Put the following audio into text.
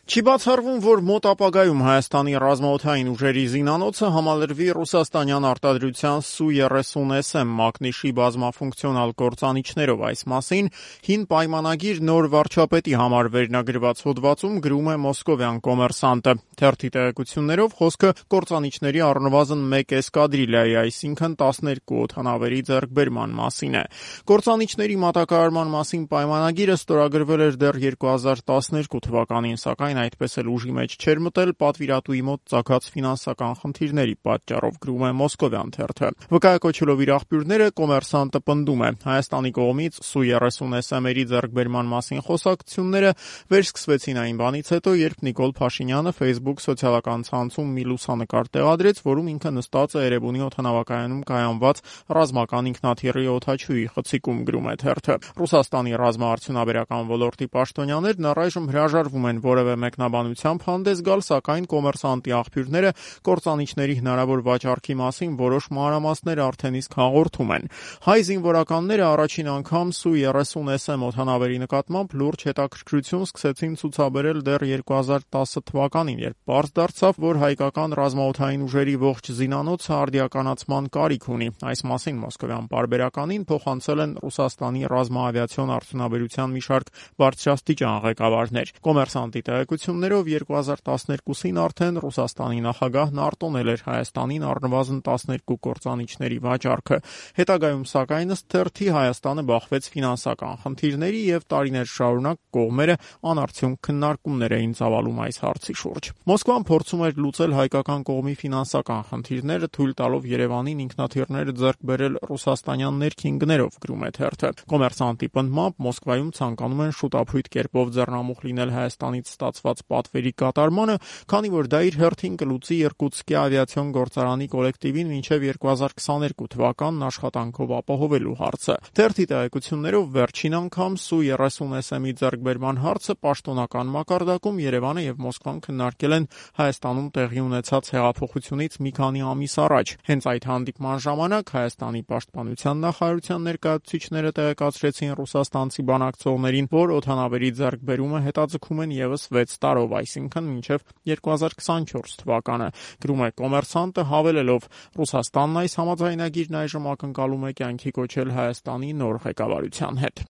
Չի բացառվում, որ մոտ ապագայում Հայաստանի ռազմաօդային ուժերի զինանոցը համալրվի ռուսաստանյան արտադրության Su-30SM մակնիշի բազմաֆունկցիոնալ կործանիչներով։ Այս մասին հին պայմանագիր նոր վարչապետի համար վերնագրված հոդվածում գրում է մոսկովյան Կոմերսանտը։ Թերթի տեղեկություններով խոսքը կործանիչների առնվազն 1 էսկադրիլիայի, այսինքն 12 օդանավերի ձեռքբերման մասին է։ Կործանիչների մատակարարման մասին պայմանագիրը ստորագրվել էր դեռ 2012 թվականին, սակայն այդպես էլ ուժի մեջ չէր մտել պատվիրատուի մոտ ծագած ֆինանսական խնդիրների պատճառով, գրում է մոսկովյան թերթը։ Վկայակոչելով իր աղբյուրները, Կոմերսանտը պնդում է. Հայաստանի կողմից Su-30SM-երի ձեռքբերման մասին խոսակցությունները վերսկսվեցին այն բանից հետո, երբ Նիկոլ Փաշինյանը Facebook սոցիալական ցանցում մի լուսանկար տեղադրեց, որում ինքը նստած է Էրեբունի օդանավակայանում կայանված ռազմական ինքնաթիռի օդաչուի խցիկում, գրում է թերթը։ Ռուսաստանի ռազմաարդյունաբերական ոլորտի պաշտոնյաներն առայժմ հրաժարվում են որևէ մեկնաբանությամբ հանդես գալ, սակայն Կոմերսանտի աղբյուրները կործանիչների հնարավոր վաճառքի մասին որոշ մանրամասներ արդեն իսկ հաղորդում են։ Հայ զինվորականները առաջին անգամ Su-30SM օդանավերի նկատմամբ լուրջ հետաքրքրություն սկսեցին ցուցաբերել դեռ 2010 թվականին, երբ պարզ դարձավ, որ հայկական ռազմաօդային ուժերի ողջ զինանոցը արդիականացման կարիք ունի։ Այս մասին մոսկովյան պարբերականին փոխանցել են Ռուսաստանի ռազմաավիացիոն արդյունաբերության մի շարք բարձրաստիճան ղեկավարներ։ Կոմերսանտի տեղեկություններով 2012-ին արդեն Ռուսաստանի նախագահն արտոնել էր Հայաստանին առնվազն 12 կործանիչների վաճառքը։ Հետագայում, սակայն, ըստ թերթի, Հայաստանը բախվեց ֆինանսական խնդիրների եւ տարիներ շարունակ կողմերը անարդյունք քննարկումներ էին ծավալում այս հարցի շուրջ։ Մոսկվան փորձում էր լուծել հայկական կողմի ֆինանսական խնդիրները, թույլ տալով Երևանին ինքնաթիռները ձեռք բերել ռուսաստանյան ներքին գներով, գրում է թերթը։ Կոմերսանտի պնդմամբ Մոսկվայում ցանկանում են շուտափույթ կերպով ձեռնամուխ լինել Հայաստանից ստացված պատվերի կատարմանը, քանի որ դա իր հերթին կլուծի Իրկուտսկի ավիացիոն գործարանի կոլեկտիվին մինչև 2022 թվականն աշխատանքով ապահովելու հարցը։ Թերթի տեղեկություններով վերջին անգամ Su-30SM-ի ձեռքբերման հարցը պաշտոնական մակարդակում Երևանը եւ Մոսկվան քննարկել են Հայաստանում տեղի ունեցած հեղափոխությունից մի քանի ամիս առաջ։ Հենց այդ հանդիպման ժամանակ Հայաստանի պաշտպանության նախարարության ներկայացուցիչները տեղեկացրեցին ռուսաստանցի բանակցողներին, որ օդանավերի ձեռքբերումը հետաձգում են եւս 6 տարով, այսինքն մինչև 2024 թվականը, գրում է Կոմերսանտը, հավելելով. Ռուսաստանն այս համաձայնագիրն այժմ ակնկալում է կյանքի կոչել Հայաստանի նոր ղեկավարության հետ։